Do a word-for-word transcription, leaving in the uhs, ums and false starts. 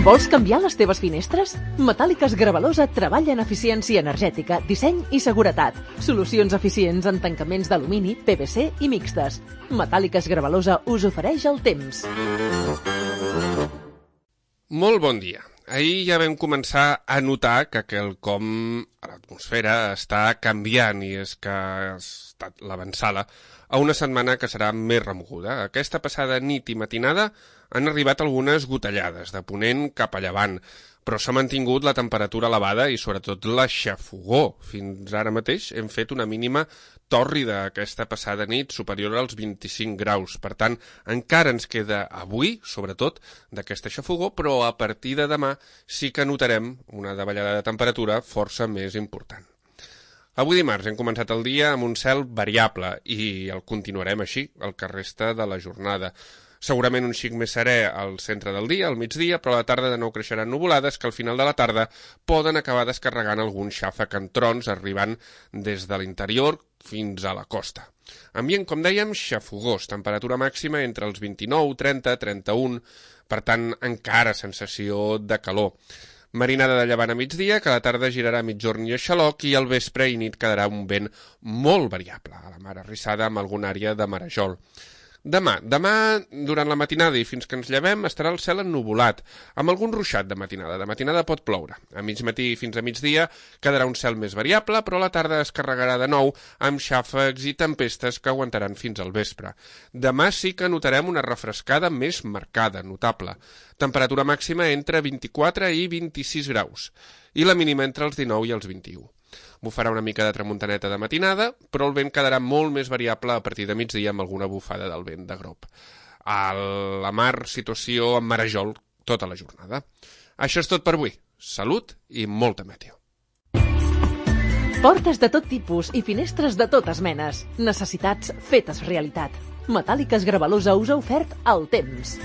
Vols canviar les teves finestres? Metàl·liques Gravalosa treballa en eficiència energètica, disseny i seguretat. Solucions eficients en tancaments d'alumini, P V C i mixtes. Metàl·liques Gravalosa us ofereix el temps. Molt bon dia. Ahir ja vam començar a notar que quelcom a l'atmosfera està canviant i és que ha estat l'avançada a una setmana que serà més remoguda. Aquesta passada nit i matinada han arribat algunes gotellades de ponent cap a llevant, però s'ha mantingut la temperatura elevada i sobretot la xafogor. Fins ara mateix hem fet una mínima tòrrida aquesta passada nit superior als vint-i-cinc graus. Per tant, encara ens queda avui, sobretot, d'aquesta xafogor, però a partir de demà sí que notarem una davallada de temperatura força més important. Avui dimarts hem començat el dia amb un cel variable i el continuarem així el que resta de la jornada. Segurament un xic més serè al centre del dia, al migdia, però a la tarda de nou creixeran nuvolades que al final de la tarda poden acabar descarregant algun xàfec en trons arribant des de l'interior fins a la costa. Ambient, com dèiem, xafogós, temperatura màxima entre els vint-i-nou, trenta, trenta-un, per tant encara sensació de calor. Marinada de llevant a migdia, que a la tarda girarà migjorn i a xaloc i al vespre i nit quedarà un vent molt variable, a la mar arrissada amb alguna àrea de marejol. Demà, demà, durant la matinada i fins que ens llevem, estarà el cel ennuvolat, amb algun ruixat de matinada. De matinada pot ploure. A mig matí fins a migdia quedarà un cel més variable, però a la tarda es carregarà de nou amb xàfecs i tempestes que aguantaran fins al vespre. Demà sí que notarem una refrescada més marcada, notable. Temperatura màxima entre vint-i-quatre i vint-i-sis graus, i la mínima entre els dinou i els vint-i-u. Bufarà una mica de tramuntaneta de matinada, però el vent quedarà molt més variable a partir de migdia amb alguna bufada del vent de grop. A la mar, situació amb marejol tota la jornada. Això és tot per avui. Salut i molta meteo. Portes de tot tipus i finestres de totes menes. Necessitats fetes realitat. Metàl·liques Gravalosa us ha ofert el temps.